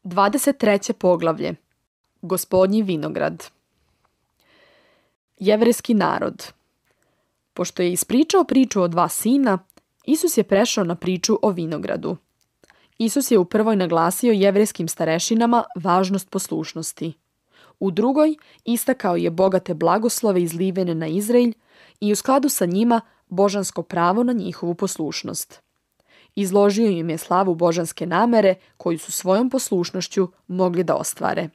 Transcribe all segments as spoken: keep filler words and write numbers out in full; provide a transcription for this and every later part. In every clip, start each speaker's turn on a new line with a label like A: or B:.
A: dvadeset treće poglavlje. Gospodnji vinograd. Jevrejski narod. Pošto je ispričao priču o dva sina, Isus je prešao na priču o vinogradu. Isus je u prvoj naglasio jevrejskim starešinama važnost poslušnosti. U drugoj istakao je bogate blagoslove izlivene na Izrael i u skladu sa njima božansko pravo na njihovu poslušnost. Izložio im je slavu božanske namere koju su svojom poslušnošću mogli da ostvare.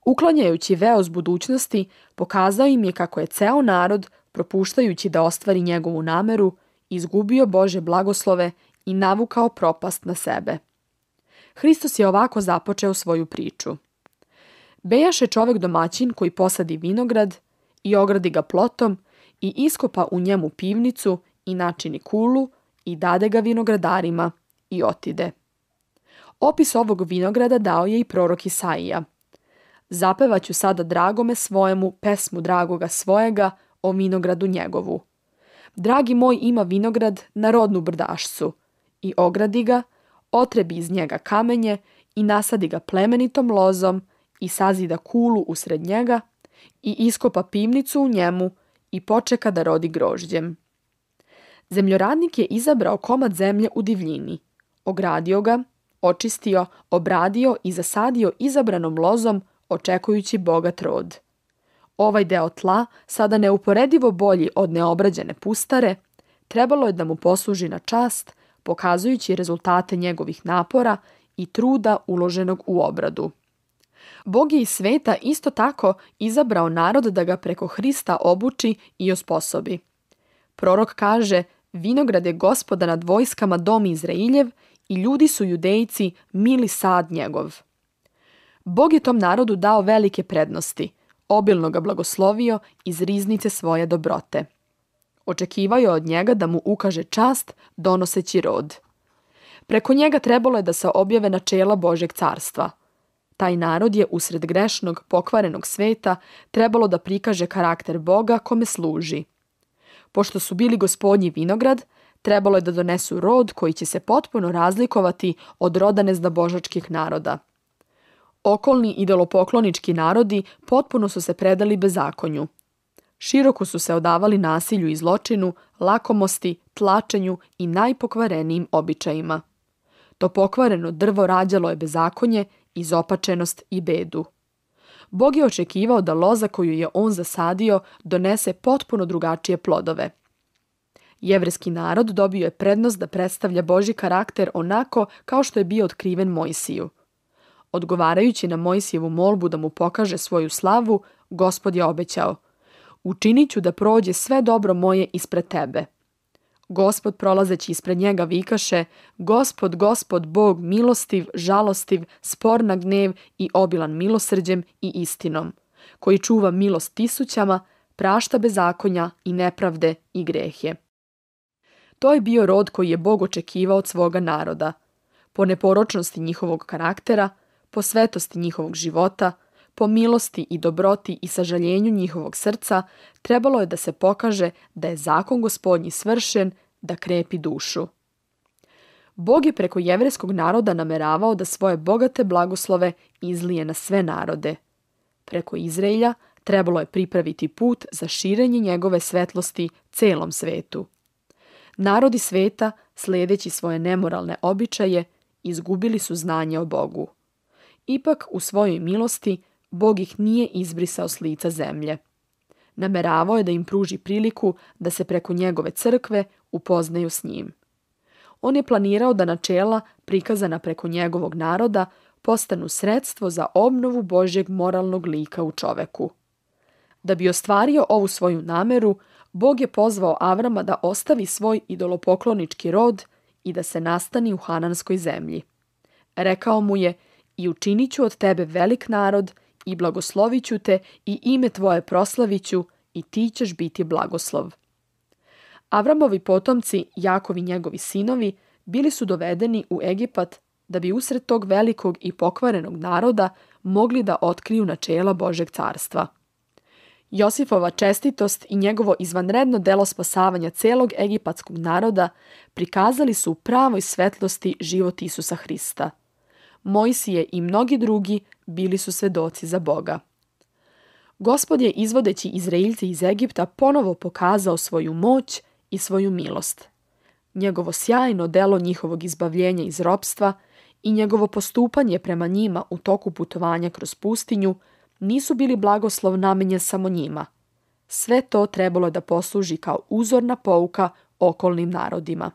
A: Uklanjajući veo s budućnosti, pokazao im je kako je ceo narod, propuštajući da ostvari njegovu nameru, izgubio Božje blagoslove i navukao propast na sebe. Hristos je ovako započeo svoju priču. Bejaše čovek domaćin koji posadi vinograd i ogradi ga plotom i iskopa u njemu pivnicu i načini kulu i dade ga vinogradarima i otide. Opis ovog vinograda dao je i prorok Isaija. Zapevaću sada dragome svojemu pesmu dragoga svojega o vinogradu njegovu. Dragi moj ima vinograd na rodnu brdašcu i ogradi ga, otrebi iz njega kamenje i nasadi ga plemenitom lozom i sazida kulu usred njega i iskopa pivnicu u njemu i počeka da rodi grožđem. Zemljoradnik je izabrao komad zemlje u divljini, ogradio ga, očistio, obradio i zasadio izabranom lozom očekujući bogat rod. Ovaj deo tla, sada neuporedivo bolji od neobrađene pustare, trebalo je da mu posluži na čast, pokazujući rezultate njegovih napora i truda uloženog u obradu. Bog je iz sveta isto tako izabrao narod da ga preko Hrista obuči i osposobi. Prorok kaže: vinograd je Gospoda nad vojskama dom Izrailjev i ljudi su Judejci mili sad njegov. Bog je tom narodu dao velike prednosti, obilno ga blagoslovio iz riznice svoje dobrote. Očekivao je od njega da mu ukaže čast donoseći rod. Preko njega trebalo je da se objave načela Božjeg carstva. Taj narod je usred grešnog, pokvarenog sveta trebalo da prikaže karakter Boga kome služi. Pošto su bili gospodnji vinograd, trebalo je da donesu rod koji će se potpuno razlikovati od roda neznabožačkih naroda. Okolni idolopoklonički narodi potpuno su se predali bezakonju. Široko su se odavali nasilju i zločinu, lakomosti, tlačenju i najpokvarenijim običajima. To pokvareno drvo rađalo je bezakonje, izopačenost i bedu. Bog je očekivao da loza koju je on zasadio donese potpuno drugačije plodove. Jevrejski narod dobio je prednost da predstavlja Božji karakter onako kao što je bio otkriven Mojsiju. Odgovarajući na Mojsijevu molbu da mu pokaže svoju slavu, Gospod je obećao: učinit ću da prođe sve dobro moje ispred tebe. Gospod prolazeći ispred njega vikaše: Gospod, Gospod, Bog milostiv, žalostiv, spor na gnev i obilan milosrđem i istinom, koji čuva milost tisućama, prašta bezakonja i nepravde i grehe. To je bio rod koji je Bog očekivao od svoga naroda. Po neporočnosti njihovog karaktera, po svetosti njihovog života, po milosti i dobroti i sažaljenju njihovog srca, trebalo je da se pokaže da je zakon Gospodnji svršen, da krepi dušu. Bog je preko jevrejskog naroda nameravao da svoje bogate blagoslove izlije na sve narode. Preko Izraelja trebalo je pripraviti put za širenje njegove svetlosti celom svetu. Narodi sveta, sledeći svoje nemoralne običaje, izgubili su znanje o Bogu. Ipak, u svojoj milosti, Bog ih nije izbrisao s lica zemlje. Nameravao je da im pruži priliku da se preko njegove crkve upoznaju s njim. On je planirao da načela prikazana preko njegovog naroda postanu sredstvo za obnovu Božjeg moralnog lika u čoveku. Da bi ostvario ovu svoju nameru, Bog je pozvao Avrama da ostavi svoj idolopoklonički rod i da se nastani u Hananskoj zemlji. Rekao mu je: i učinit ću od tebe velik narod i blagoslovit ću te i ime tvoje proslaviću i ti ćeš biti blagoslov. Avramovi potomci, Jakov i njegovi sinovi, bili su dovedeni u Egipat da bi usred tog velikog i pokvarenog naroda mogli da otkriju načela Božeg carstva. Josifova čestitost i njegovo izvanredno delo spasavanja celog egipatskog naroda prikazali su u pravoj svetlosti život Isusa Hrista. Mojsije i mnogi drugi bili su svedoci za Boga. Gospod je, izvodeći Izraeljce iz Egipta, ponovo pokazao svoju moć i svoju milost. Njegovo sjajno delo njihovog izbavljenja iz ropstva i njegovo postupanje prema njima u toku putovanja kroz pustinju nisu bili blagoslov namenjen samo njima. Sve to trebalo da posluži kao uzorna pouka okolnim narodima.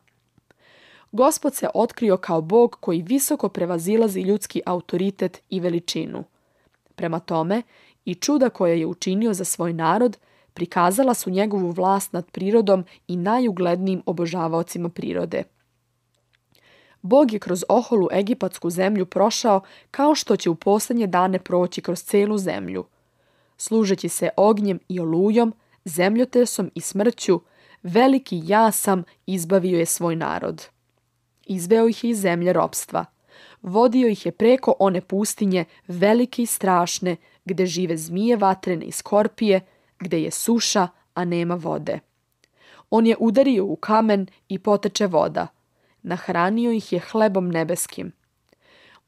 A: Gospod se otkrio kao Bog koji visoko prevazilazi ljudski autoritet i veličinu. Prema tome, i čuda koje je učinio za svoj narod prikazala su njegovu vlast nad prirodom i najuglednijim obožavaocima prirode. Bog je kroz oholu egipatsku zemlju prošao kao što će u posljednje dane proći kroz celu zemlju. Služeći se ognjem i olujom, zemljotresom i smrću, veliki jasam izbavio je svoj narod. Izveo ih je iz zemlje ropstva. Vodio ih je preko one pustinje velike i strašne, gde žive zmije vatrene i skorpije, gde je suša, a nema vode. On je udario u kamen i poteče voda. Nahranio ih je hlebom nebeskim.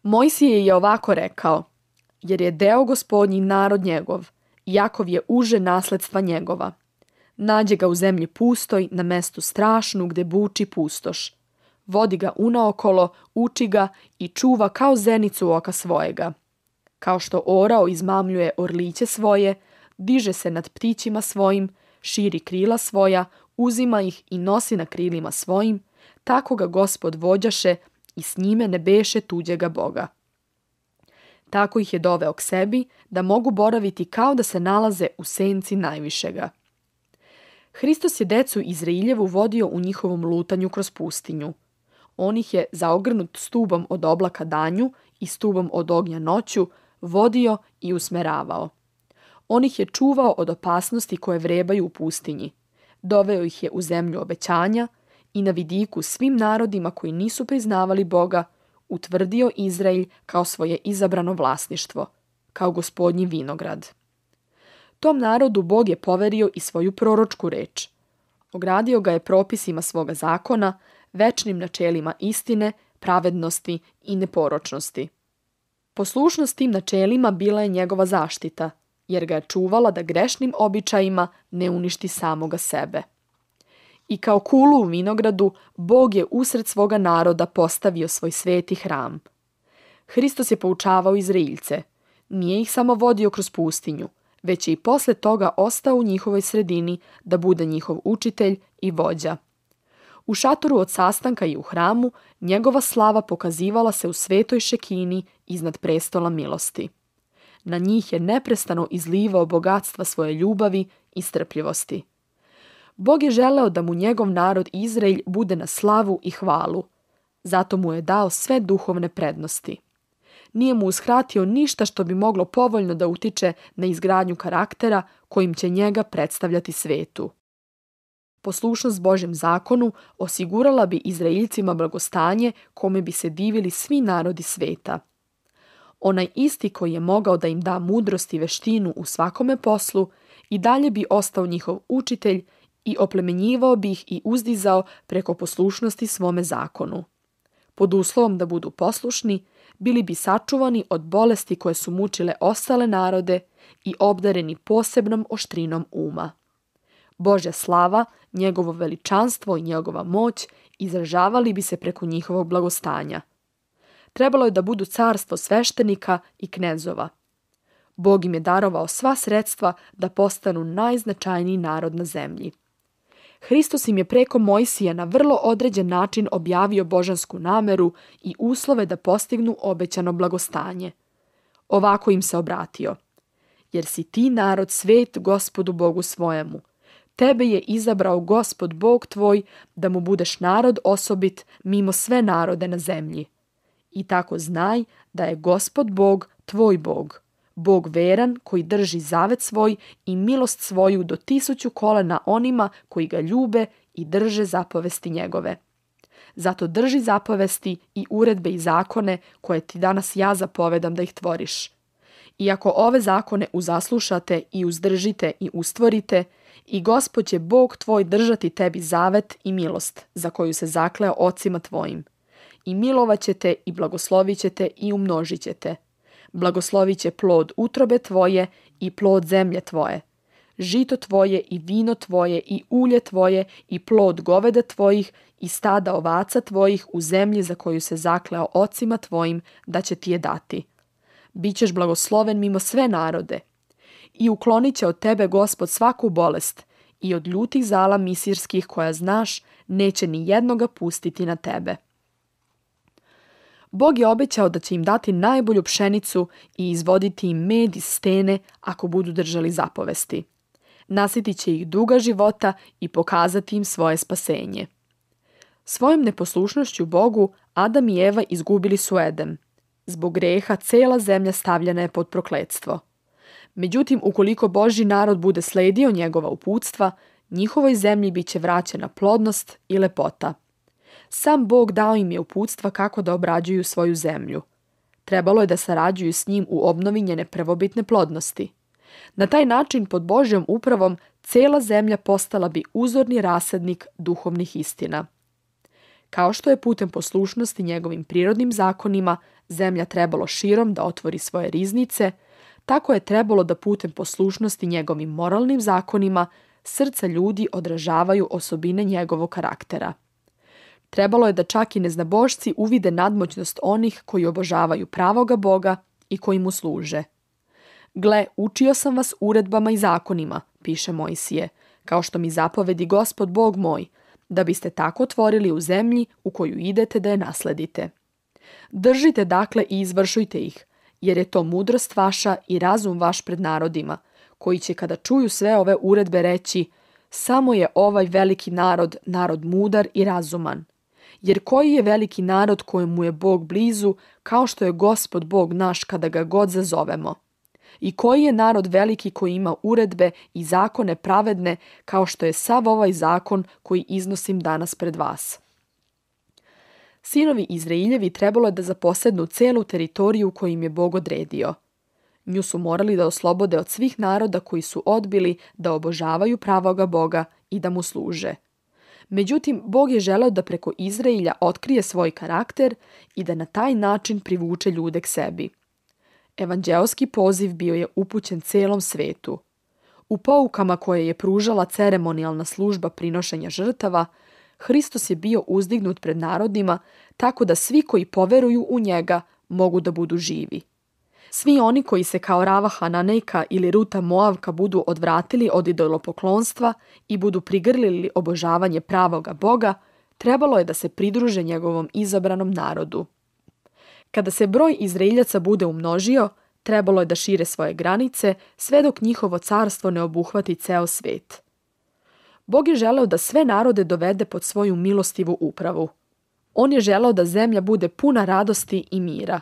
A: Mojsije je ovako rekao: jer je deo Gospodnji narod njegov, Jakov je uže nasledstva njegova. Nađe ga u zemlji pustoj, na mestu strašnu, gde buči pustoš. Vodi ga unaokolo, uči ga i čuva kao zenicu oka svojega. Kao što orao izmamljuje orliće svoje, diže se nad ptićima svojim, širi krila svoja, uzima ih i nosi na krilima svojim, tako ga Gospod vođaše i s njime ne beše tuđega Boga. Tako ih je doveo k sebi, da mogu boraviti kao da se nalaze u senci najvišega. Hristos je decu Izrailjevu vodio u njihovom lutanju kroz pustinju. On ih je, zaogrnut stubom od oblaka danju i stubom od ognja noću, vodio i usmeravao. On ih je čuvao od opasnosti koje vrebaju u pustinji. Doveo ih je u zemlju obećanja i na vidiku svim narodima koji nisu priznavali Boga, utvrdio Izraelj kao svoje izabrano vlasništvo, kao Gospodnji vinograd. Tom narodu Bog je poverio i svoju proročku reč. Ogradio ga je propisima svoga zakona, večnim načelima istine, pravednosti i neporočnosti. Poslušnost tim načelima bila je njegova zaštita, jer ga je čuvala da grešnim običajima ne uništi samoga sebe. I kao kulu u vinogradu, Bog je usred svoga naroda postavio svoj sveti hram. Hristos je poučavao Izraeljce. Nije ih samo vodio kroz pustinju, već je i posle toga ostao u njihovoj sredini da bude njihov učitelj i vođa. U šatoru od sastanka i u hramu njegova slava pokazivala se u svetoj šekini iznad prestola milosti. Na njih je neprestano izlivao bogatstva svoje ljubavi i strpljivosti. Bog je želeo da mu njegov narod Izraelj bude na slavu i hvalu. Zato mu je dao sve duhovne prednosti. Nije mu uskratio ništa što bi moglo povoljno da utiče na izgradnju karaktera kojim će njega predstavljati svetu. Poslušnost Božjem zakonu osigurala bi Izraeljcima blagostanje kome bi se divili svi narodi sveta. Onaj isti koji je mogao da im da mudrost i veštinu u svakome poslu i dalje bi ostao njihov učitelj i oplemenjivao bi ih i uzdizao preko poslušnosti svome zakonu. Pod uslovom da budu poslušni, bili bi sačuvani od bolesti koje su mučile ostale narode i obdareni posebnom oštrinom uma. Božja slava, njegovo veličanstvo i njegova moć izražavali bi se preko njihovog blagostanja. Trebalo je da budu carstvo sveštenika i knezova. Bog im je darovao sva sredstva da postanu najznačajniji narod na zemlji. Hristos im je preko Mojsija na vrlo određen način objavio božansku nameru i uslove da postignu obećano blagostanje. Ovako im se obratio: jer si ti narod svet Gospodu Bogu svojemu. Tebe je izabrao Gospod Bog tvoj da mu budeš narod osobit mimo sve narode na zemlji. I tako znaj da je Gospod Bog tvoj Bog, Bog veran koji drži zavet svoj i milost svoju do tisuću kolena onima koji ga ljube i drže zapovesti njegove. Zato drži zapovesti i uredbe i zakone koje ti danas ja zapovedam da ih tvoriš. I ako ove zakone uzaslušate i uzdržite i ustvorite, i Gospod će Bog tvoj držati tebi zavet i milost, za koju se zakleo ocima tvojim. i milovat ćete i blagoslovit ćete i umnožit ćete. Blagoslovit će plod utrobe tvoje i plod zemlje tvoje. Žito tvoje i vino tvoje i ulje tvoje i plod goveda tvojih i stada ovaca tvojih u zemlji za koju se zakleo ocima tvojim da će ti je dati. Bićeš blagosloven mimo sve narode. I uklonit će od tebe Gospod svaku bolest i od ljutih zala misirskih koja znaš neće ni jednoga pustiti na tebe. Bog je obećao da će im dati najbolju pšenicu i izvoditi im med iz stene ako budu držali zapovesti. Nasitit će ih duga života i pokazati im svoje spasenje. Svojom neposlušnošću Bogu Adam i Eva izgubili su Edem. Zbog greha cela zemlja stavljena je pod prokletstvo. Međutim, ukoliko Božji narod bude sledio njegova uputstva, njihovoj zemlji bit će vraćena plodnost i lepota. Sam Bog dao im je uputstva kako da obrađuju svoju zemlju. Trebalo je da sarađuju s njim u obnovi njene prvobitne plodnosti. Na taj način, pod Božjom upravom, cela zemlja postala bi uzorni rasadnik duhovnih istina. Kao što je putem poslušnosti njegovim prirodnim zakonima zemlja trebalo širom da otvori svoje riznice, tako je trebalo da putem poslušnosti njegovim moralnim zakonima srca ljudi odražavaju osobine njegovog karaktera. Trebalo je da čak i neznabošci uvide nadmoćnost onih koji obožavaju pravoga Boga i koji mu služe. Gle, učio sam vas uredbama i zakonima, piše Mojsije, kao što mi zapovedi Gospod Bog moj, da biste tako tvorili u zemlji u koju idete da je nasledite. Držite dakle i izvršujte ih, jer je to mudrost vaša i razum vaš pred narodima, koji će kada čuju sve ove uredbe reći: samo je ovaj veliki narod, narod mudar i razuman. Jer koji je veliki narod kojemu je Bog blizu, kao što je Gospod Bog naš kada ga god zazovemo? I koji je narod veliki koji ima uredbe i zakone pravedne, kao što je sav ovaj zakon koji iznosim danas pred vas? Sinovi Izrailjevi trebalo je da zaposednu celu teritoriju koju im je Bog odredio. Nju su morali da oslobode od svih naroda koji su odbili da obožavaju pravoga Boga i da mu služe. Međutim, Bog je želeo da preko Izrailja otkrije svoj karakter i da na taj način privuče ljude k sebi. Evanđeoski poziv bio je upućen celom svetu. U poukama koje je pružala ceremonijalna služba prinošenja žrtava, Hristos je bio uzdignut pred narodima tako da svi koji poveruju u njega mogu da budu živi. Svi oni koji se kao Rava Hananejka ili Ruta Moavka budu odvratili od idolopoklonstva i budu prigrlili obožavanje pravoga Boga, trebalo je da se pridruže njegovom izabranom narodu. Kada se broj Izraeljaca bude umnožio, trebalo je da šire svoje granice sve dok njihovo carstvo ne obuhvati ceo svet. Bog je želeo da sve narode dovede pod svoju milostivu upravu. On je želeo da zemlja bude puna radosti i mira.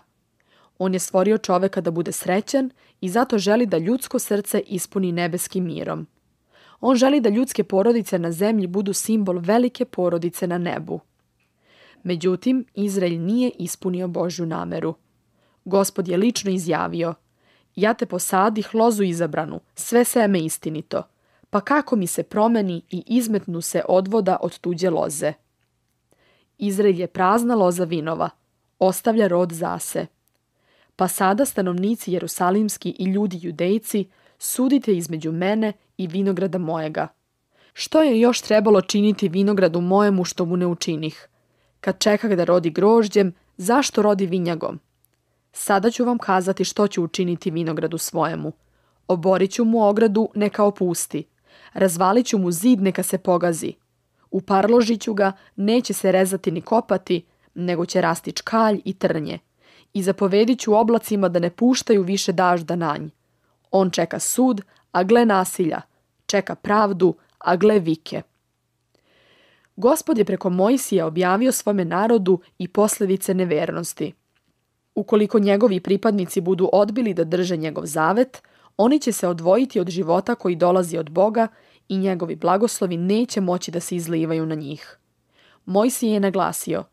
A: On je stvorio čoveka da bude srećan i zato želi da ljudsko srce ispuni nebeskim mirom. On želi da ljudske porodice na zemlji budu simbol velike porodice na nebu. Međutim, Izrael nije ispunio Božju nameru. Gospod je lično izjavio: ja te posadih lozu izabranu, sve seme istinito, pa kako mi se promeni i izmetnu se odvoda od tuđe loze. Izrael je prazna loza vinova, ostavlja rod zase. Pa sada, stanovnici jerusalimski i ljudi judejci, sudite između mene i vinograda mojega. Što je još trebalo činiti vinogradu mojemu što mu ne učinih? Kad čekah da rodi grožđem, zašto rodi vinjagom? Sada ću vam kazati što ću učiniti vinogradu svojemu. Oborit ću mu ogradu, neka opusti. Razvalit ću mu zid, neka se pogazi. Uparložit ću ga, neće se rezati ni kopati, nego će rasti čkalj i trnje. I zapovedit ću oblacima da ne puštaju više dažda na nj. On čeka sud, a gle nasilja. Čeka pravdu, a gle vike. Gospod je preko Mojsija objavio svome narodu i posljedice nevernosti. Ukoliko njegovi pripadnici budu odbili da drže njegov zavet, oni će se odvojiti od života koji dolazi od Boga i njegovi blagoslovi neće moći da se izlivaju na njih. Mojsije je naglasio: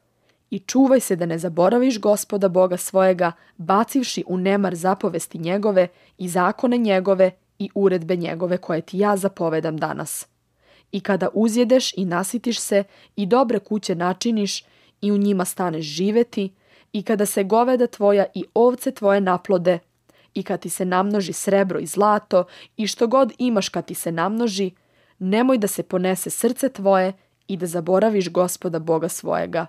A: i čuvaj se da ne zaboraviš Gospoda Boga svojega, bacivši u nemar zapovesti njegove i zakone njegove i uredbe njegove koje ti ja zapovedam danas. I kada uzjedeš i nasitiš se i dobre kuće načiniš i u njima staneš živeti, i kada se goveda tvoja i ovce tvoje naplode, i kad ti se namnoži srebro i zlato, i što god imaš kad ti se namnoži, nemoj da se ponese srce tvoje i da zaboraviš Gospoda Boga svojega.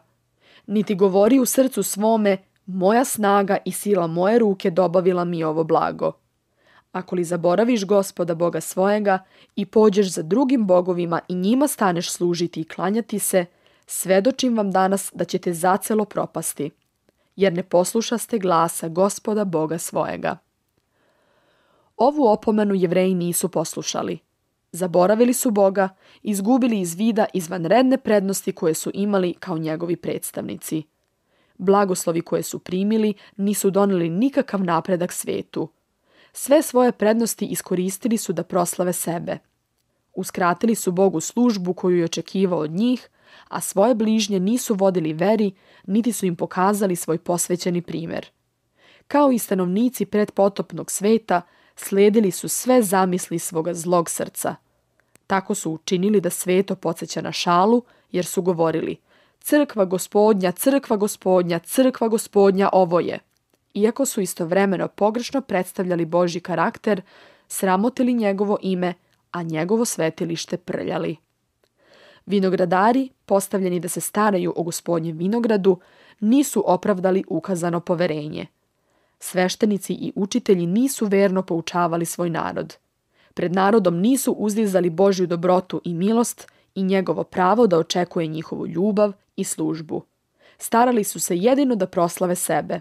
A: Niti govori u srcu svome, moja snaga i sila moje ruke dobavila mi ovo blago. Ako li zaboraviš Gospoda Boga svojega i pođeš za drugim bogovima i njima staneš služiti i klanjati se, svedočim vam danas da ćete zacelo propasti, jer ne poslušaste glasa Gospoda Boga svojega. Ovu opomenu Jevreji nisu poslušali. Zaboravili su Boga, izgubili iz vida izvanredne prednosti koje su imali kao njegovi predstavnici. Blagoslovi koje su primili nisu doneli nikakav napredak svetu. Sve svoje prednosti iskoristili su da proslave sebe. Uskratili su Bogu službu koju je očekivao od njih, a svoje bližnje nisu vodili veri, niti su im pokazali svoj posvećeni primjer. Kao i stanovnici predpotopnog sveta, slijedili su sve zamisli svoga zlog srca. Tako su učinili da sveto podsjeća na šalu, jer su govorili: crkva gospodnja, crkva gospodnja, crkva gospodnja ovo je. Iako su istovremeno pogrešno predstavljali Božji karakter, sramotili njegovo ime, a njegovo svetilište prljali. Vinogradari, postavljeni da se staraju o gospodnjem vinogradu, nisu opravdali ukazano poverenje. Sveštenici i učitelji nisu verno poučavali svoj narod. Pred narodom nisu uzdizali Božju dobrotu i milost i njegovo pravo da očekuje njihovu ljubav i službu. Starali su se jedino da proslave sebe.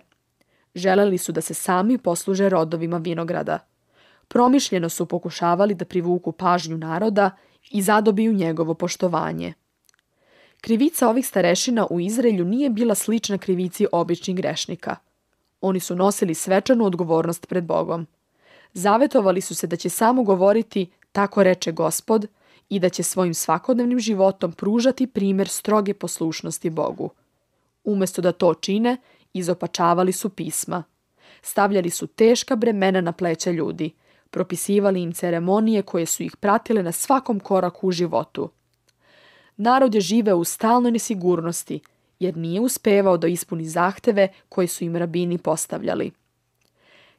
A: Želeli su da se sami posluže rodovima vinograda. Promišljeno su pokušavali da privuku pažnju naroda i zadobiju njegovo poštovanje. Krivica ovih starešina u Izraelju nije bila slična krivici običnih grešnika. Oni su nosili svečanu odgovornost pred Bogom. Zavetovali su se da će samo govoriti tako reče Gospod i da će svojim svakodnevnim životom pružati primjer stroge poslušnosti Bogu. Umjesto da to čine, izopačavali su pisma. Stavljali su teška bremena na pleća ljudi, propisivali im ceremonije koje su ih pratile na svakom koraku u životu. Narod je živeo u stalnoj nesigurnosti, jer nije uspevao da ispuni zahteve koje su im rabini postavljali.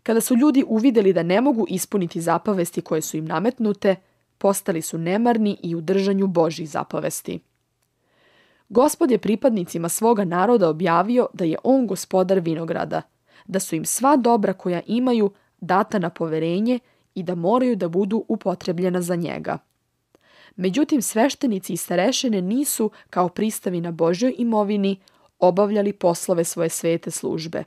A: Kada su ljudi uvidjeli da ne mogu ispuniti zapovesti koje su im nametnute, postali su nemarni i u držanju Božjih zapovesti. Gospod je pripadnicima svoga naroda objavio da je on gospodar vinograda, da su im sva dobra koja imaju data na poverenje i da moraju da budu upotrebljena za njega. Međutim, sveštenici i starešine nisu, kao pristavi na Božjoj imovini, obavljali poslove svoje svete službe.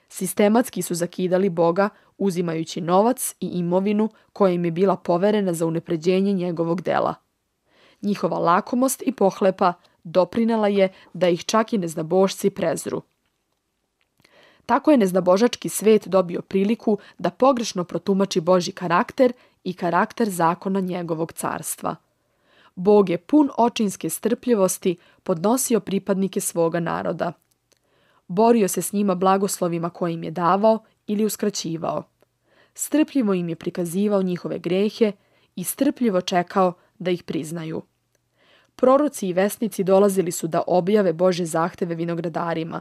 A: Sistematski su zakidali Boga, uzimajući novac i imovinu koja im je bila poverena za unapređenje njegovog dela. Njihova lakomost i pohlepa doprinela je da ih čak i neznabošci prezru. Tako je neznabožački svet dobio priliku da pogrešno protumači Božji karakter i karakter zakona njegovog carstva. Bog je pun očinske strpljivosti podnosio pripadnike svoga naroda. Borio se s njima blagoslovima koje im je davao ili uskraćivao. Strpljivo im je prikazivao njihove grehe i strpljivo čekao da ih priznaju. Proroci i vesnici dolazili su da objave Božje zahteve vinogradarima,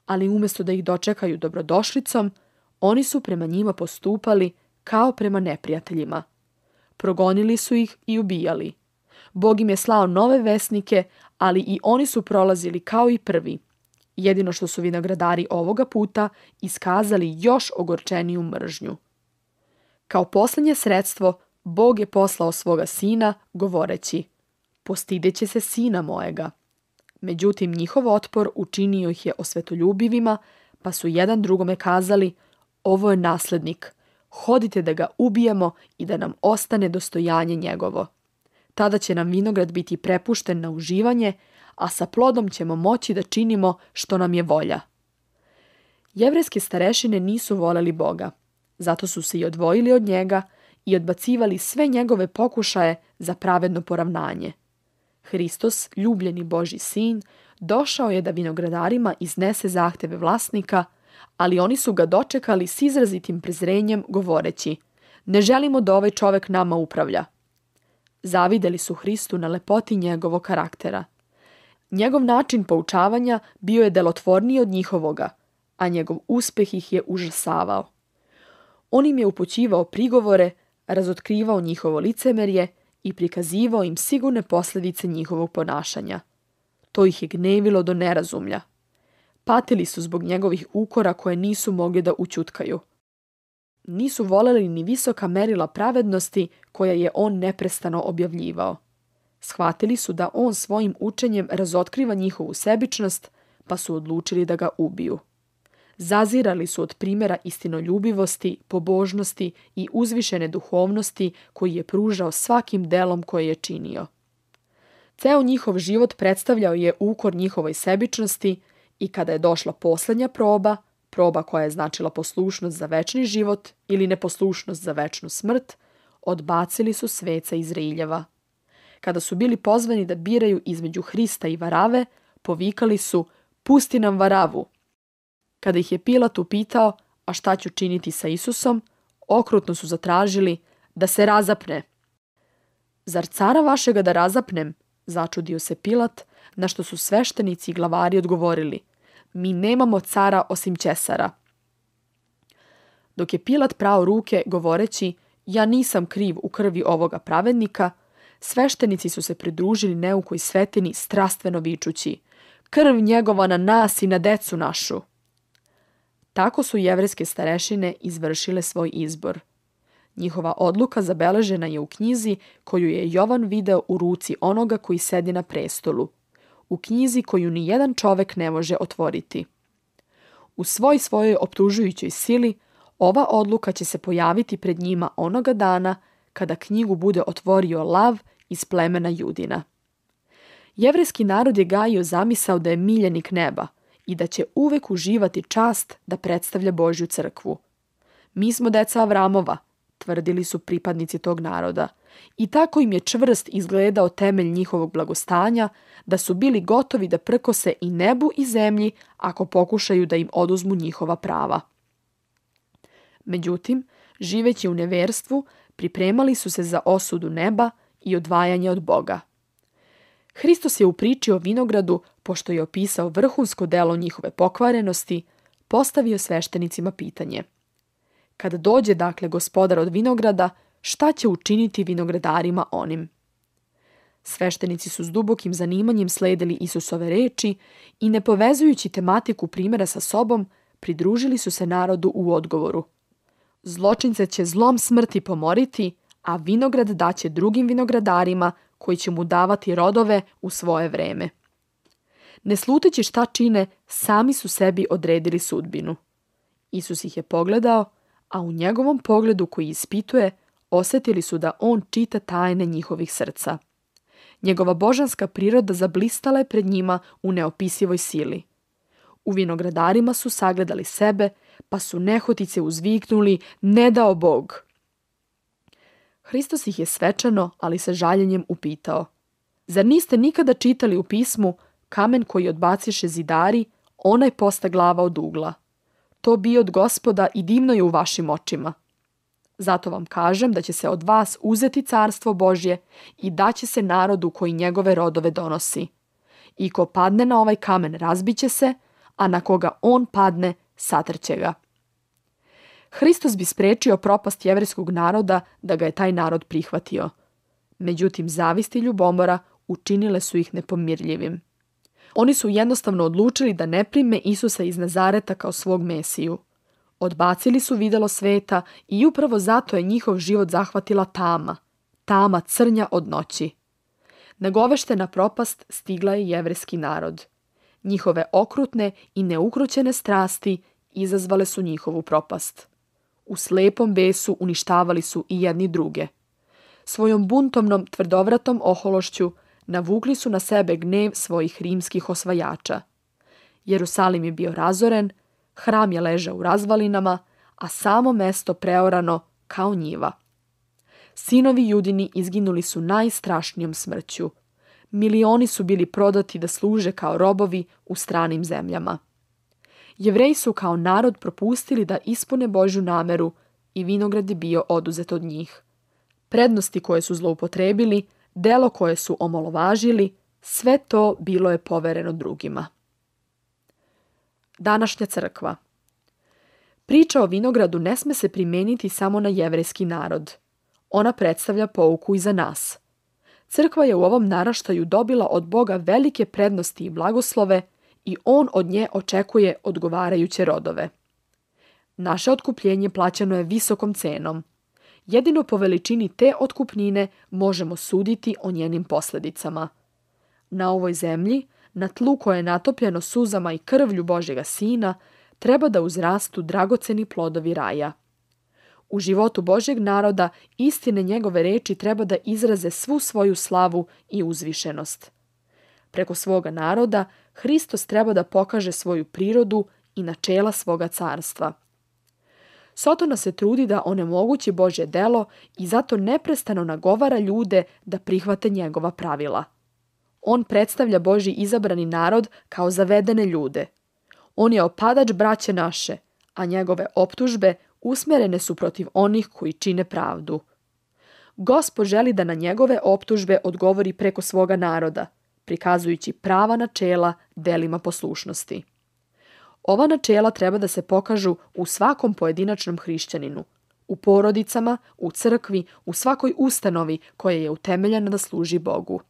A: ali umjesto da ih dočekaju dobrodošlicom, oni su prema njima postupali kao prema neprijateljima. Progonili su ih i ubijali. Bog im je slao nove vesnike, ali i oni su prolazili kao i prvi. Jedino što su vinogradari ovoga puta iskazali još ogorčeniju mržnju. Kao posljednje sredstvo, Bog je poslao svoga sina, govoreći: postideće se sina mojega. Međutim, njihov otpor učinio ih je osvetoljubivima, pa su jedan drugome kazali: ovo je naslednik, hodite da ga ubijemo i da nam ostane dostojanje njegovo. Tada će nam vinograd biti prepušten na uživanje, a sa plodom ćemo moći da činimo što nam je volja. Jevrejske starešine nisu voleli Boga, zato su se i odvojili od njega i odbacivali sve njegove pokušaje za pravedno poravnanje. Hristos, ljubljeni Božji sin, došao je da vinogradarima iznese zahteve vlasnika, ali oni su ga dočekali s izrazitim prezrenjem, govoreći: ne želimo da ovaj čovjek nama upravlja. Zavideli su Hristu na lepoti njegovog karaktera. Njegov način poučavanja bio je delotvorniji od njihovoga, a njegov uspeh ih je užasavao. On im je upućivao prigovore, razotkrivao njihovo licemerje i prikazivao im sigurne posljedice njihovog ponašanja. To ih je gnevilo do nerazumlja. Patili su zbog njegovih ukora koje nisu mogli da ućutkaju. Nisu voleli ni visoka merila pravednosti koja je on neprestano objavljivao. Shvatili su da on svojim učenjem razotkriva njihovu sebičnost, pa su odlučili da ga ubiju. Zazirali su od primjera istinoljubivosti, pobožnosti i uzvišene duhovnosti koji je pružao svakim delom koje je činio. Ceo njihov život predstavljao je ukor njihovoj sebičnosti i kada je došla posljednja proba, proba koja je značila poslušnost za večni život ili neposlušnost za večnu smrt, odbacili su sveca iz riljeva. Kada su bili pozvani da biraju između Hrista i varave, povikali su: "Pusti nam varavu." Kada ih je Pilat upitao: "A šta ću činiti sa Isusom?" okrutno su zatražili: "Da se razapne." "Zar cara vašega da razapnem?" začudio se Pilat, na što su sveštenici i glavari odgovorili: "Mi nemamo cara osim Ćesara." Dok je Pilat prao ruke govoreći: "Ja nisam kriv u krvi ovoga pravednika", sveštenici su se pridružili neukoj svetini strastveno vičući: "Krv njegova na nas i na decu našu." Tako su jevrejske starešine izvršile svoj izbor. Njihova odluka zabeležena je u knjizi koju je Jovan video u ruci onoga koji sedi na prestolu, u knjizi koju ni jedan čovek ne može otvoriti. U svoj svojoj optužujućoj sili ova odluka će se pojaviti pred njima onoga dana kada knjigu bude otvorio lav iz plemena Judina. Jevrejski narod je gajio zamisao da je miljenik neba i da će uvek uživati čast da predstavlja Božju crkvu. "Mi smo deca Avramova", tvrdili su pripadnici tog naroda, i tako im je čvrst izgledao temelj njihovog blagostanja da su bili gotovi da prkose i nebu i zemlji ako pokušaju da im oduzmu njihova prava. Međutim, živeći u neverstvu, pripremali su se za osudu neba i odvajanje od Boga. Hristos je u priči o vinogradu, pošto je opisao vrhunsko delo njihove pokvarenosti, postavio sveštenicima pitanje: "Kada dođe dakle gospodar od vinograda, šta će učiniti vinogradarima onim?" Sveštenici su s dubokim zanimanjem sledili Isusove reči i ne povezujući tematiku primjera sa sobom, pridružili su se narodu u odgovoru: "Zločince će zlom smrti pomoriti, a vinograd daće drugim vinogradarima koji će mu davati rodove u svoje vreme." Ne sluteći šta čine, sami su sebi odredili sudbinu. Isus ih je pogledao, a u njegovom pogledu koji ispituje, osjetili su da on čita tajne njihovih srca. Njegova božanska priroda zablistala je pred njima u neopisivoj sili. U vinogradarima su sagledali sebe, pa su nehotice uzviknuli: "Ne dao Bog!" Hristos ih je svečano, ali sa žaljenjem upitao: "Zar niste nikada čitali u pismu: kamen koji odbaciše zidari, onaj posta glava od ugla? To bi od Gospoda i divno je u vašim očima. Zato vam kažem da će se od vas uzeti carstvo Božje i daće se narodu koji njegove rodove donosi. I ko padne na ovaj kamen razbiće se, a na koga on padne satrće ga." Hristos bi sprečio propast jevrejskog naroda da ga je taj narod prihvatio. Međutim, zavist i ljubomora učinile su ih nepomirljivim. Oni su jednostavno odlučili da ne prime Isusa iz Nazareta kao svog Mesiju. Odbacili su videlo sveta i upravo zato je njihov život zahvatila tama, tama crnja od noći. Nagoveštena propast stigla je jevrejski narod. Njihove okrutne i neukrućene strasti izazvale su njihovu propast. U slepom besu uništavali su i jedni druge. Svojom buntovnom tvrdovratom ohološću navukli su na sebe gnev svojih rimskih osvajača. Jerusalim je bio razoren, hram je ležao u razvalinama, a samo mesto preorano kao njiva. Sinovi Judini izginuli su najstrašnijom smrću. Milioni su bili prodati da služe kao robovi u stranim zemljama. Jevreji su kao narod propustili da ispune Božju nameru i vinograd je bio oduzet od njih. Prednosti koje su zloupotrebili, delo koje su omalovažili, Sve to bilo je povereno drugima. Današnja crkva. Priča o vinogradu ne sme se primeniti samo na jevrejski narod. Ona predstavlja pouku i za nas. Crkva je u ovom naraštaju dobila od Boga velike prednosti i blagoslove i on od nje očekuje odgovarajuće rodove. Naše otkupljenje plaćano je visokom cenom. Jedino po veličini te otkupnine možemo suditi o njenim posljedicama. Na ovoj zemlji, na tlu koje je natopljeno suzama i krvlju Božjega Sina, treba da uzrastu dragoceni plodovi raja. U životu Božjeg naroda istine njegove reči treba da izraze svu svoju slavu i uzvišenost. Preko svoga naroda Hristos treba da pokaže svoju prirodu i načela svoga carstva. Sotona se trudi da onemogući Božje delo i zato neprestano nagovara ljude da prihvate njegova pravila. On predstavlja Božji izabrani narod kao zavedene ljude. On je opadač braće naše, a njegove optužbe usmjerene su protiv onih koji čine pravdu. Gospod želi da na njegove optužbe odgovori preko svoga naroda, prikazujući prava načela delima poslušnosti. Ova načela treba da se pokažu u svakom pojedinačnom hrišćaninu, u porodicama, u crkvi, u svakoj ustanovi koja je utemeljena da služi Bogu.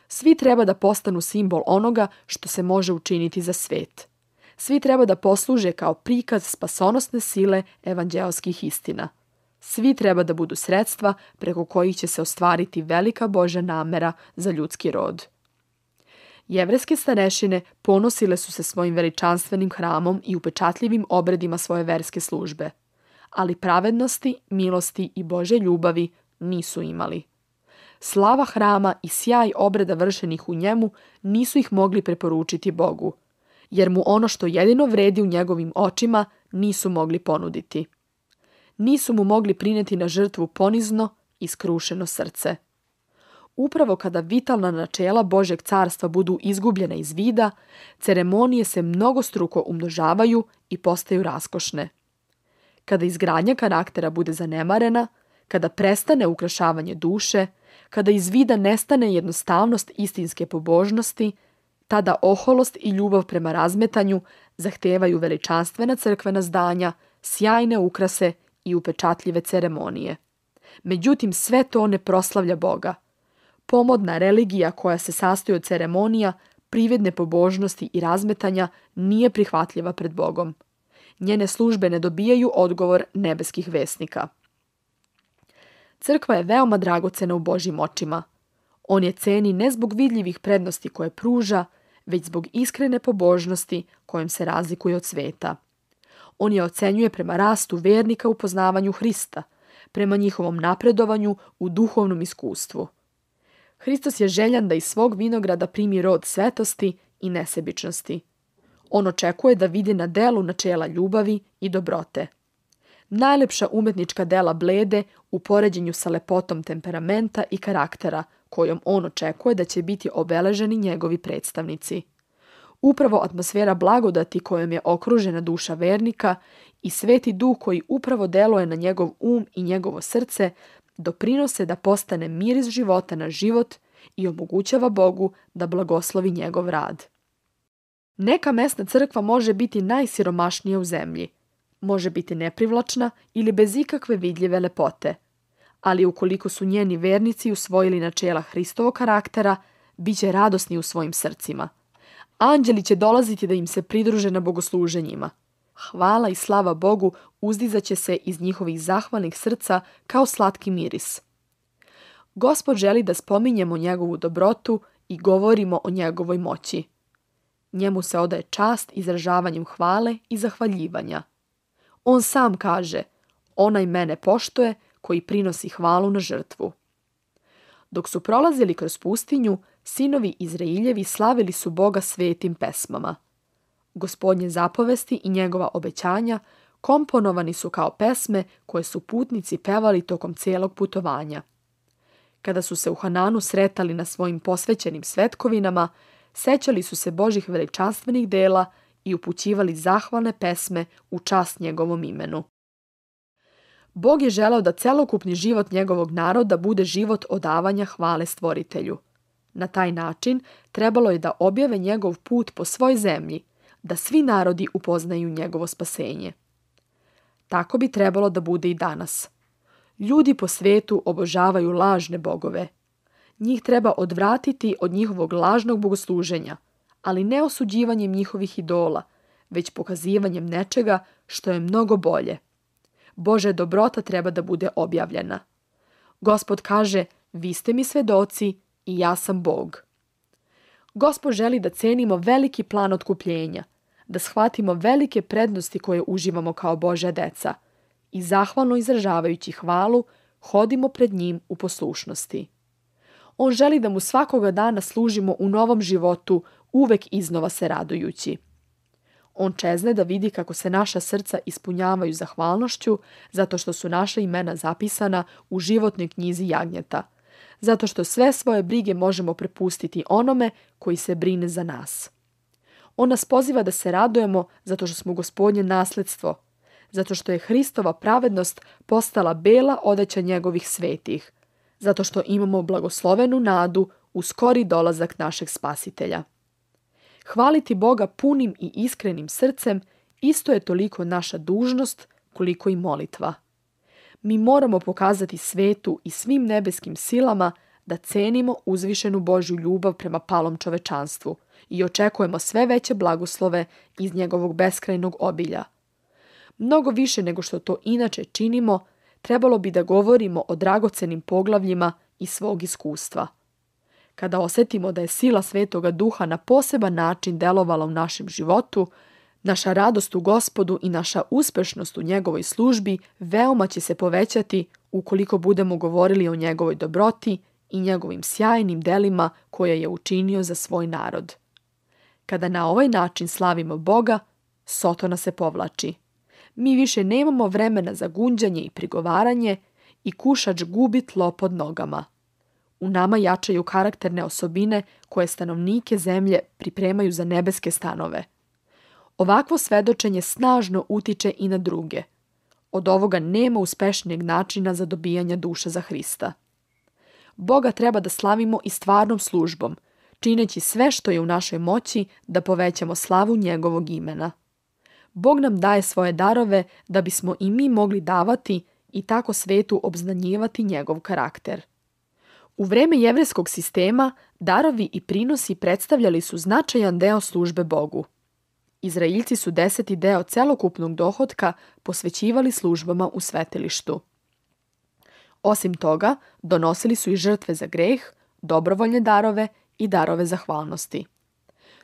A: Svi treba da postanu simbol onoga što se može učiniti za svet. Svi treba da posluže kao prikaz spasonosne sile evanđeoskih istina. Svi treba da budu sredstva preko kojih će se ostvariti velika Božja namera za ljudski rod. Jevrejske starešine ponosile su se svojim veličanstvenim hramom i upečatljivim obredima svoje verske službe, ali pravednosti, milosti i Božje ljubavi nisu imali. Slava hrama i sjaj obreda vršenih u njemu nisu ih mogli preporučiti Bogu, jer mu ono što jedino vredi u njegovim očima nisu mogli ponuditi. Nisu mu mogli prineti na žrtvu ponizno i skrušeno srce. Upravo kada vitalna načela Božjeg carstva budu izgubljena iz vida, ceremonije se mnogostruko umnožavaju i postaju raskošne. Kada izgradnja karaktera bude zanemarena, kada prestane ukrašavanje duše, kada iz vida nestane jednostavnost istinske pobožnosti, tada oholost i ljubav prema razmetanju zahtevaju veličanstvena crkvena zdanja, sjajne ukrase i upečatljive ceremonije. Međutim, sve to ne proslavlja Boga. Pomodna religija koja se sastoji od ceremonija, prividne pobožnosti i razmetanja nije prihvatljiva pred Bogom. Njene službe ne dobijaju odgovor nebeskih vesnika. Crkva je veoma dragocena u Božjim očima. On je ceni ne zbog vidljivih prednosti koje pruža, već zbog iskrene pobožnosti kojom se razlikuje od sveta. On je ocenjuje prema rastu vernika u poznavanju Hrista, prema njihovom napredovanju u duhovnom iskustvu. Hristos je željan da iz svog vinograda primi rod svetosti i nesebičnosti. On očekuje da vidi na delu načela ljubavi i dobrote. Najlepša umetnička dela blede u poređenju sa lepotom temperamenta i karaktera kojom on očekuje da će biti obeleženi njegovi predstavnici. Upravo atmosfera blagodati kojom je okružena duša vernika i sveti duh koji upravo deluje na njegov um i njegovo srce doprinose da postane miris života na život i omogućava Bogu da blagoslovi njegov rad. Neka mesna crkva može biti najsiromašnija u zemlji, može biti neprivlačna ili bez ikakve vidljive lepote, ali ukoliko su njeni vernici usvojili načela Hristovog karaktera, bit će radosni u svojim srcima. Anđeli će dolaziti da im se pridruže na bogosluženjima. Hvala i slava Bogu uzdizaće se iz njihovih zahvalnih srca kao slatki miris. Gospod želi da spominjemo njegovu dobrotu i govorimo o njegovoj moći. Njemu se odaje čast izražavanjem hvale i zahvaljivanja. On sam kaže, onaj mene poštuje koji prinosi hvalu na žrtvu. Dok su prolazili kroz pustinju, sinovi Izrailjevi slavili su Boga svetim pesmama. Gospodnje zapovesti i njegova obećanja komponovani su kao pesme koje su putnici pevali tokom cijelog putovanja. Kada su se u Hananu sretali na svojim posvećenim svetkovinama, sećali su se Božjih veličanstvenih dela i upućivali zahvalne pesme u čast njegovom imenu. Bog je želeo da celokupni život njegovog naroda bude život odavanja hvale Stvoritelju. Na taj način trebalo je da objave njegov put po svoj zemlji, da svi narodi upoznaju njegovo spasenje. Tako bi trebalo da bude i danas. Ljudi po svetu obožavaju lažne bogove. Njih treba odvratiti od njihovog lažnog bogosluženja, ali ne osuđivanjem njihovih idola, već pokazivanjem nečega što je mnogo bolje. Božja dobrota treba da bude objavljena. Gospod kaže, vi ste mi svedoci i ja sam Bog. Gospod želi da cenimo veliki plan otkupljenja, da shvatimo velike prednosti koje uživamo kao Božja deca i zahvalno izražavajući hvalu, hodimo pred njim u poslušnosti. On želi da mu svakoga dana služimo u novom životu, uvek iznova se radujući. On čezne da vidi kako se naša srca ispunjavaju zahvalnošću zato što su naša imena zapisana u životnoj knjizi jagnjeta, zato što sve svoje brige možemo prepustiti onome koji se brine za nas. On nas poziva da se radujemo zato što smo Gospodnje nasledstvo, zato što je Hristova pravednost postala bela odeća njegovih svetih, zato što imamo blagoslovenu nadu u skori dolazak našeg Spasitelja. Hvaliti Boga punim i iskrenim srcem isto je toliko naša dužnost koliko i molitva. Mi moramo pokazati svetu i svim nebeskim silama da cenimo uzvišenu Božju ljubav prema palom čovečanstvu i očekujemo sve veće blagoslove iz njegovog beskrajnog obilja. Mnogo više nego što to inače činimo, trebalo bi da govorimo o dragocenim poglavljima iz svog iskustva. Kada osetimo da je sila Svetoga Duha na poseban način delovala u našem životu, naša radost u Gospodu i naša uspešnost u njegovoj službi veoma će se povećati ukoliko budemo govorili o njegovoj dobroti i njegovim sjajnim delima koje je učinio za svoj narod. Kada na ovaj način slavimo Boga, Sotona se povlači. Mi više nemamo vremena za gunđanje i prigovaranje i kušač gubi tlo pod nogama. U nama jačaju karakterne osobine koje stanovnike zemlje pripremaju za nebeske stanove. Ovakvo svedočenje snažno utiče i na druge. Od ovoga nema uspešnijeg načina za dobijanje duša za Hrista. Boga treba da slavimo i stvarnom službom, čineći sve što je u našoj moći da povećamo slavu njegovog imena. Bog nam daje svoje darove da bismo i mi mogli davati i tako svetu obznanjivati njegov karakter. U vreme jevrejskog sistema darovi i prinosi predstavljali su značajan deo službe Bogu. Izraeljci su deseti deo celokupnog dohotka posvećivali službama u svetilištu. Osim toga, donosili su i žrtve za greh, dobrovoljne darove i darove zahvalnosti.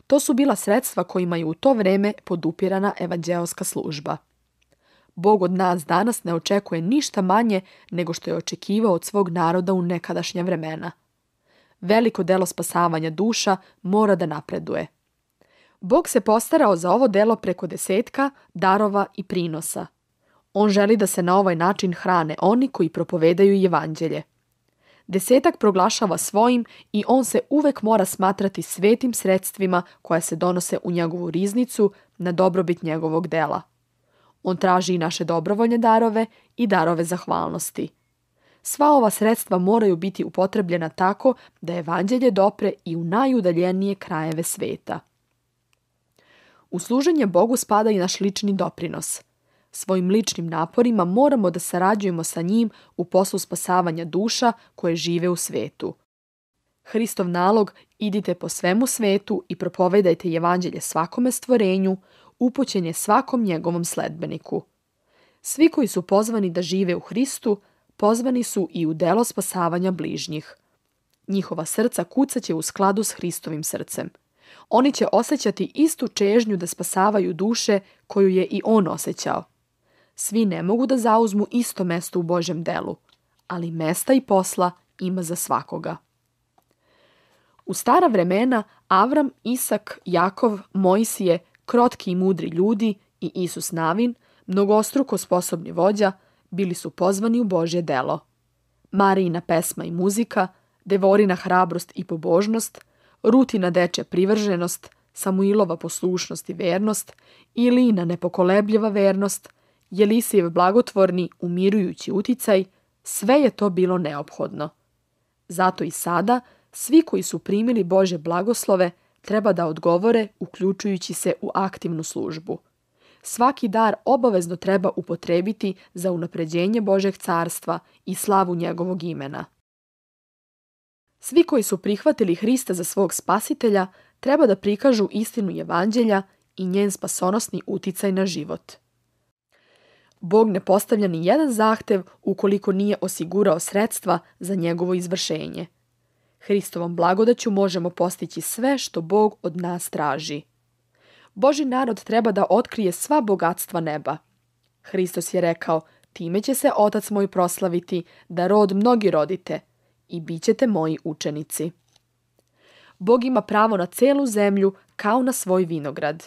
A: To su bila sredstva kojima je u to vreme podupirana evanđeoska služba. Bog od nas danas ne očekuje ništa manje nego što je očekivao od svog naroda u nekadašnja vremena. Veliko delo spasavanja duša mora da napreduje. Bog se postarao za ovo delo preko desetka, darova i prinosa. On želi da se na ovaj način hrane oni koji propovedaju evanđelje. Desetak proglašava svojim i on se uvek mora smatrati svetim sredstvima koja se donose u njegovu riznicu na dobrobit njegovog dela. On traži i naše dobrovoljne darove i darove zahvalnosti. Sva ova sredstva moraju biti upotrebljena tako da evanđelje dopre i u najudaljenije krajeve sveta. U služenje Bogu spada i naš lični doprinos. Svojim ličnim naporima moramo da sarađujemo sa njim u poslu spasavanja duša koje žive u svetu. Hristov nalog idite po svemu svetu i propovedajte evanđelje svakome stvorenju, upućen je svakom njegovom sledbeniku. Svi koji su pozvani da žive u Hristu, pozvani su i u delo spasavanja bližnjih. Njihova srca kucaće u skladu s Hristovim srcem. Oni će osjećati istu čežnju da spasavaju duše koju je i on osjećao. Svi ne mogu da zauzmu isto mesto u Božjem delu, ali mesta i posla ima za svakoga. U stara vremena Avram, Isak, Jakov, Mojsije, krotki i mudri ljudi i Isus Navin, mnogostruko sposobni vođa, bili su pozvani u Božje delo. Marijina pesma i muzika, Devorina hrabrost i pobožnost, Rutina dečja privrženost, Samuilova poslušnost i vernost, Ilina nepokolebljiva vernost, Jelisijev blagotvorni, umirujući uticaj, sve je to bilo neophodno. Zato i sada svi koji su primili Božje blagoslove treba da odgovore uključujući se u aktivnu službu. Svaki dar obavezno treba upotrebiti za unapređenje Božjeg carstva i slavu njegovog imena. Svi koji su prihvatili Hrista za svog spasitelja treba da prikažu istinu evanđelja i njen spasonosni uticaj na život. Bog ne postavlja ni jedan zahtev ukoliko nije osigurao sredstva za njegovo izvršenje. Hristovom blagodaću možemo postići sve što Bog od nas traži. Božji narod treba da otkrije sva bogatstva neba. Hristos je rekao, time će se Otac moj proslaviti, da rod mnogi rodite, i bit ćete moji učenici. Bog ima pravo na celu zemlju kao na svoj vinograd.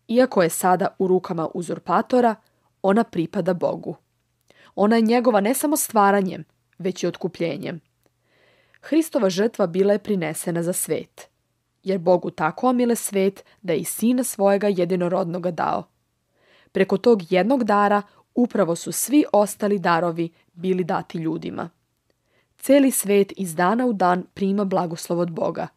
A: Iako je sada u rukama uzurpatora, ona pripada Bogu. Ona je njegova ne samo stvaranjem, već i otkupljenjem. Hristova žrtva bila je prinesena za svet, jer Bogu tako omile svet da je i Sina svojega jedinorodnoga dao. Preko tog jednog dara upravo su svi ostali darovi bili dati ljudima. Celi svet iz dana u dan prima blagoslov od Boga.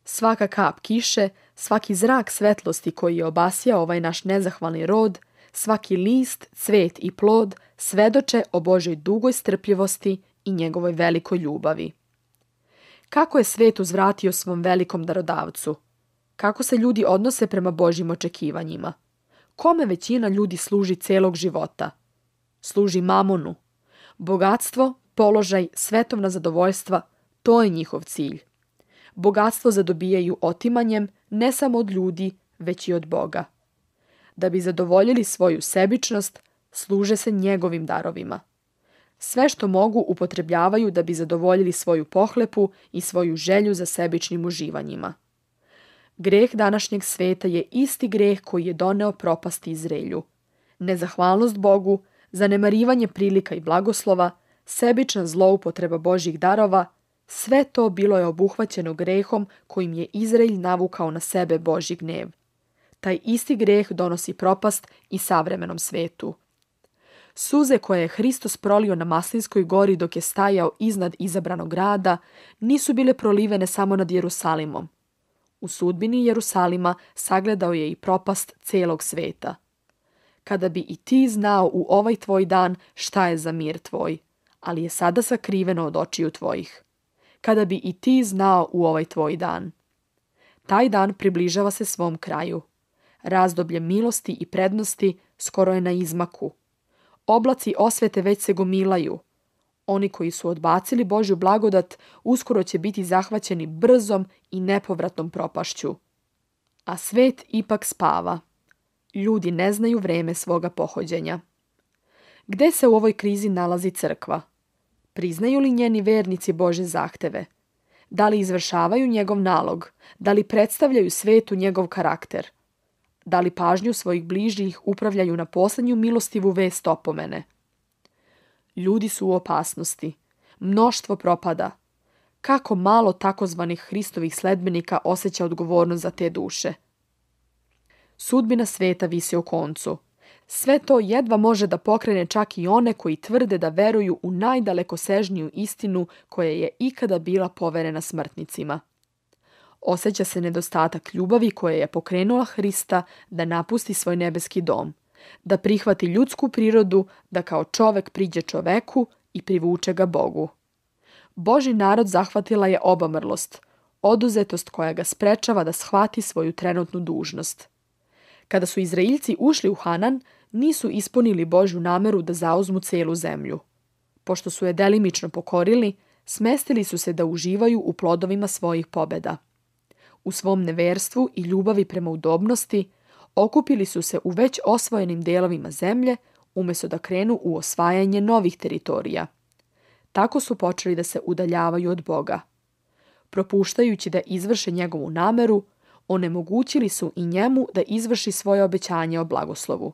A: Svaka kap kiše, svaki zrak svetlosti koji je obasjao ovaj naš nezahvalni rod, svaki list, cvet i plod svedoče o Božoj dugoj strpljivosti i njegovoj velikoj ljubavi. Kako je svet uzvratio svom velikom darodavcu? Kako se ljudi odnose prema Božjim očekivanjima? Kome većina ljudi služi celog života? Služi mamonu. Bogatstvo, položaj, svetovna zadovoljstva, to je njihov cilj. Bogatstvo zadobijaju otimanjem ne samo od ljudi, već i od Boga. Da bi zadovoljili svoju sebičnost, služe se njegovim darovima. Sve što mogu upotrebljavaju da bi zadovoljili svoju pohlepu i svoju želju za sebičnim uživanjima. Greh današnjeg sveta je isti greh koji je doneo propast Izraelju. Nezahvalnost Bogu, zanemarivanje prilika i blagoslova, sebična zloupotreba Božjih darova, sve to bilo je obuhvaćeno grehom kojim je Izrael navukao na sebe Božji gnev. Taj isti greh donosi propast i savremenom svetu. Suze koje je Hristos prolio na Maslinskoj gori dok je stajao iznad izabranog grada nisu bile prolivene samo nad Jerusalimom. U sudbini Jerusalima sagledao je i propast celog sveta. Kada bi i ti znao u ovaj tvoj dan šta je za mir tvoj, ali je sada sakriveno od očiju tvojih. Kada bi i ti znao u ovaj tvoj dan. Taj dan približava se svom kraju. Razdoblje milosti i prednosti skoro je na izmaku. Oblaci osvete već se gomilaju. Oni koji su odbacili Božju blagodat uskoro će biti zahvaćeni brzom i nepovratnom propašću. A svet ipak spava. Ljudi ne znaju vreme svoga pohođenja. Gde se u ovoj krizi nalazi crkva? Priznaju li njeni vernici Božje zahteve? Da li izvršavaju njegov nalog? Da li predstavljaju svetu njegov karakter? Da li pažnju svojih bližnjih upravljaju na poslednju milostivu vest opomene? Ljudi su u opasnosti. Mnoštvo propada. Kako malo takozvanih Hristovih sledbenika osjeća odgovornost za te duše? Sudbina sveta visi o koncu. Sve to jedva može da pokrene čak i one koji tvrde da veruju u najdalekosežniju istinu koja je ikada bila poverena smrtnicima. Osjeća se nedostatak ljubavi koja je pokrenula Hrista da napusti svoj nebeski dom, da prihvati ljudsku prirodu, da kao čovek priđe čoveku i privuče ga Bogu. Božji narod zahvatila je obamrlost, oduzetost koja ga sprečava da shvati svoju trenutnu dužnost. Kada su Izraeljci ušli u Hanan, nisu ispunili Božju nameru da zauzmu celu zemlju. Pošto su je delimično pokorili, smestili su se da uživaju u plodovima svojih pobeda. U svom neverstvu i ljubavi prema udobnosti, okupili su se u već osvojenim delovima zemlje, umjesto da krenu u osvajanje novih teritorija. Tako su počeli da se udaljavaju od Boga. Propuštajući da izvrše njegovu nameru, onemogućili su i njemu da izvrši svoje obećanje o blagoslovu.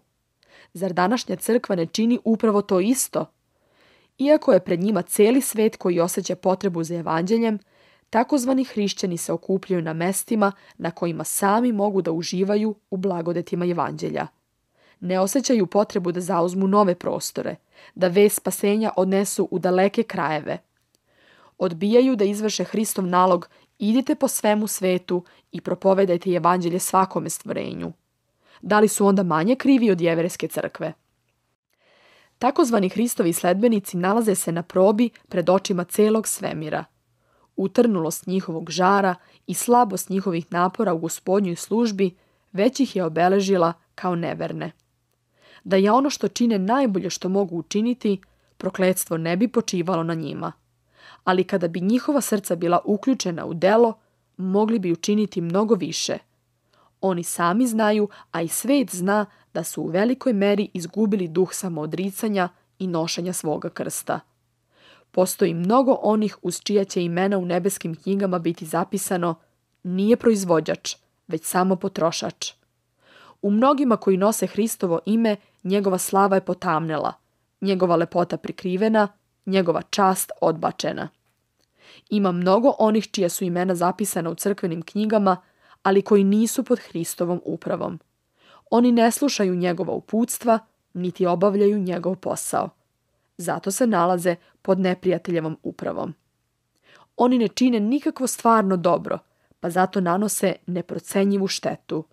A: Zar današnja crkva ne čini upravo to isto? Iako je pred njima celi svet koji osjeća potrebu za evanđeljem, takozvani hrišćani se okupljaju na mestima na kojima sami mogu da uživaju u blagodetima evanđelja. Ne osjećaju potrebu da zauzmu nove prostore, da vest spasenja odnesu u daleke krajeve. Odbijaju da izvrše Hristov nalog: idite po svemu svetu i propovedajte evanđelje svakome stvorenju. Da li su onda manje krivi od jevrejske crkve? Takozvani Hristovi sledbenici nalaze se na probi pred očima celog svemira. Utrnulost njihovog žara i slabost njihovih napora u Gospodnjoj službi već ih je obeležila kao neverne. Da je ono što čine najbolje što mogu učiniti, prokletstvo ne bi počivalo na njima. Ali kada bi njihova srca bila uključena u delo, mogli bi učiniti mnogo više. Oni sami znaju, a i svet zna, da su u velikoj meri izgubili duh samoodricanja i nošenja svoga krsta. Postoji mnogo onih uz čija će imena u nebeskim knjigama biti zapisano: nije proizvođač, već samo potrošač. U mnogima koji nose Hristovo ime, njegova slava je potamnela, njegova lepota prikrivena, njegova čast odbačena. Ima mnogo onih čija su imena zapisana u crkvenim knjigama, ali koji nisu pod Hristovom upravom. Oni ne slušaju njegova uputstva, niti obavljaju njegov posao. Zato se nalaze pod neprijateljevom upravom. Oni ne čine nikakvo stvarno dobro, pa zato nanose neprocenjivu štetu.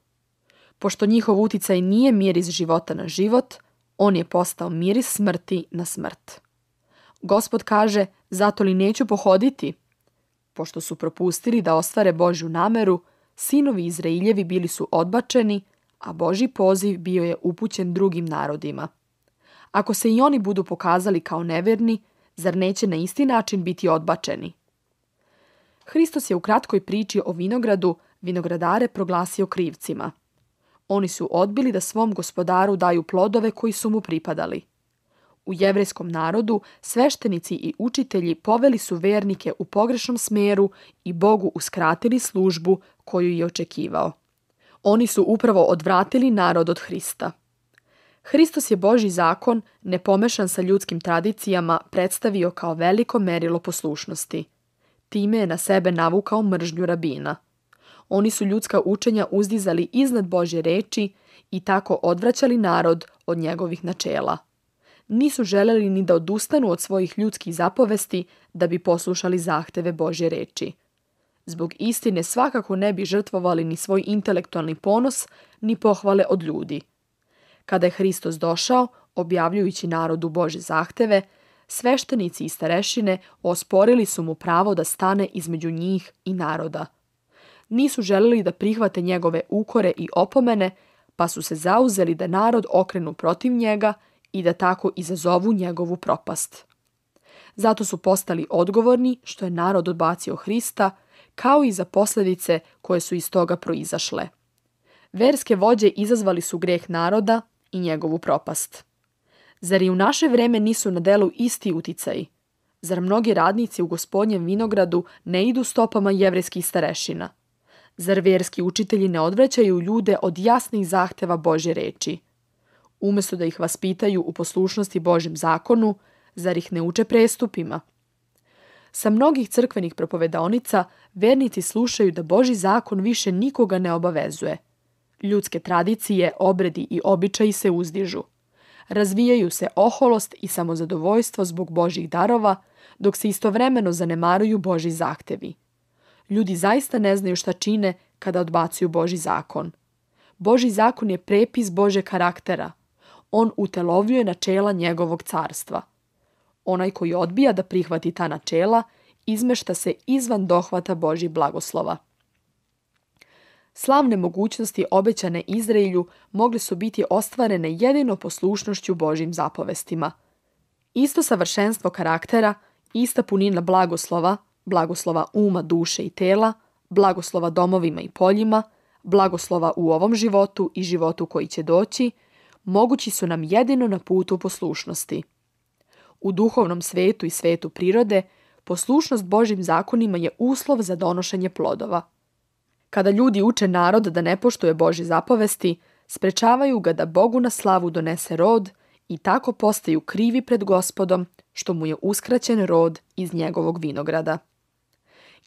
A: Pošto njihov uticaj nije miris života na život, on je postao miris smrti na smrt. Gospod kaže: zato li neću pohoditi? Pošto su propustili da ostvare Božju nameru, sinovi Izrailjevi bili su odbačeni, a Božji poziv bio je upućen drugim narodima. Ako se i oni budu pokazali kao neverni, zar neće na isti način biti odbačeni? Hristos je u kratkoj priči o vinogradu vinogradare proglasio krivcima. Oni su odbili da svom gospodaru daju plodove koji su mu pripadali. U jevrejskom narodu sveštenici i učitelji poveli su vernike u pogrešnom smeru i Bogu uskratili službu koju je očekivao. Oni su upravo odvratili narod od Hrista. Hristos je Božji zakon, nepomešan sa ljudskim tradicijama, predstavio kao veliko merilo poslušnosti. Time je na sebe navukao mržnju rabina. Oni su ljudska učenja uzdizali iznad Božje reči i tako odvraćali narod od njegovih načela. Nisu želeli ni da odustanu od svojih ljudskih zapovesti da bi poslušali zahteve Božje reči. Zbog istine svakako ne bi žrtvovali ni svoj intelektualni ponos, ni pohvale od ljudi. Kada je Hristos došao, objavljujući narodu Božje zahteve, sveštenici i starešine osporili su mu pravo da stane između njih i naroda. Nisu želeli da prihvate njegove ukore i opomene, pa su se zauzeli da narod okrenu protiv njega i da tako izazovu njegovu propast. Zato su postali odgovorni što je narod odbacio Hrista, kao i za posljedice koje su iz toga proizašle. Verske vođe izazvali su greh naroda i njegovu propast. Zar i u naše vreme nisu na delu isti uticaji? Zar mnogi radnici u Gospodnjem vinogradu ne idu stopama jevrejskih starešina? Zar verski učitelji ne odvraćaju ljude od jasnih zahteva Božje reči? Umjesto da ih vaspitaju u poslušnosti Božjem zakonu, zar ih ne uče prestupima? Sa mnogih crkvenih propovedaonica vernici slušaju da Božji zakon više nikoga ne obavezuje. Ljudske tradicije, obredi i običaji se uzdižu. Razvijaju se oholost i samozadovoljstvo zbog Božjih darova, dok se istovremeno zanemaruju Božji zahtevi. Ljudi zaista ne znaju šta čine kada odbacuju Božji zakon. Božji zakon je prepis Božjeg karaktera. On utelovljuje načela njegovog carstva. Onaj koji odbija da prihvati ta načela, izmešta se izvan dohvata Božjih blagoslova. Slavne mogućnosti obećane Izraelju mogle su biti ostvarene jedino poslušnošću Božjim zapovestima. Isto savršenstvo karaktera, ista punina blagoslova, blagoslova uma, duše i tela, blagoslova domovima i poljima, blagoslova u ovom životu i životu koji će doći, mogući su nam jedino na putu poslušnosti. U duhovnom svetu i svetu prirode, poslušnost Božjim zakonima je uslov za donošenje plodova. Kada ljudi uče narod da ne poštuje Božje zapovesti, sprečavaju ga da Bogu na slavu donese rod i tako postaju krivi pred Gospodom što mu je uskraćen rod iz njegovog vinograda.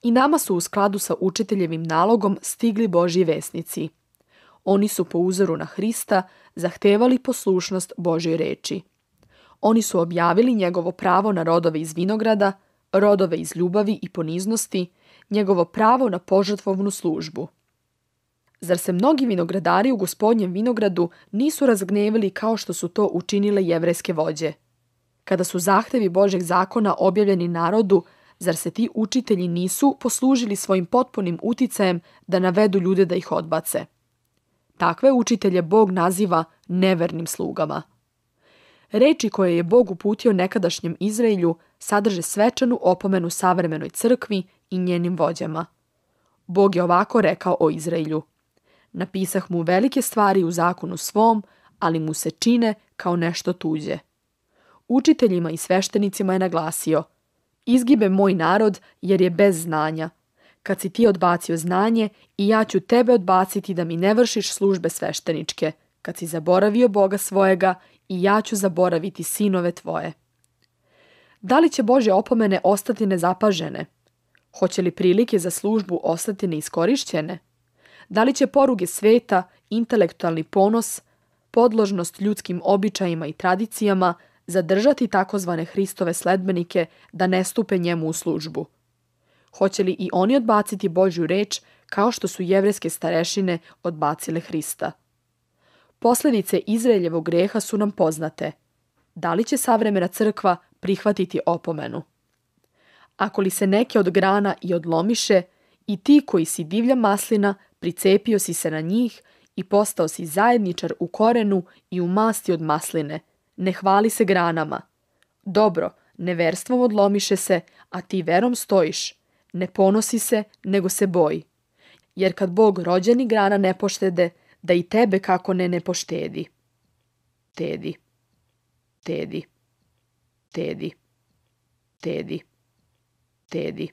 A: I nama su u skladu sa učiteljevim nalogom stigli Božji vesnici. Oni su po uzoru na Hrista zahtevali poslušnost Božjoj reči. Oni su objavili njegovo pravo na rodove iz vinograda, rodove iz ljubavi i poniznosti, njegovo pravo na požrtvovnu službu. Zar se mnogi vinogradari u Gospodnjem vinogradu nisu razgnevili kao što su to učinile jevrejske vođe? Kada su zahtevi Božjeg zakona objavljeni narodu, zar se ti učitelji nisu poslužili svojim potpunim uticajem da navedu ljude da ih odbace? Takve učitelje Bog naziva nevernim slugama. Reči koje je Bog uputio nekadašnjem Izraelju sadrže svečanu opomenu savremenoj crkvi i njenim vođama. Bog je ovako rekao o Izraelju: napisah mu velike stvari u zakonu svom, ali mu se čine kao nešto tuđe. Učiteljima i sveštenicima je naglasio: izgibe moj narod jer je bez znanja. Kad si ti odbacio znanje, i ja ću tebe odbaciti da mi ne vršiš službe svešteničke. Kad si zaboravio Boga svojega, i ja ću zaboraviti sinove tvoje. Da li će Božje opomene ostati nezapažene? Hoće li prilike za službu ostati neiskorišćene? Da li će poruge sveta, intelektualni ponos, podložnost ljudskim običajima i tradicijama zadržati takozvane Hristove sledbenike da ne stupe njemu u službu? Hoće li i oni odbaciti Božju reč kao što su jevrejske starešine odbacile Hrista? Posljedice Izraeljevog greha su nam poznate. Da li će savremena crkva prihvatiti opomenu? Ako li se neke od grana i odlomiše, i ti koji si divlja maslina, pricepio si se na njih i postao si zajedničar u korenu i u masti od masline. Ne hvali se granama. Dobro, neverstvom odlomiše se, a ti verom stojiš. Ne ponosi se, nego se boji. Jer kad Bog rođeni grana ne poštede, da i tebe kako ne ne poštedi. Tedi, tedi, tedi, tedi, tedi.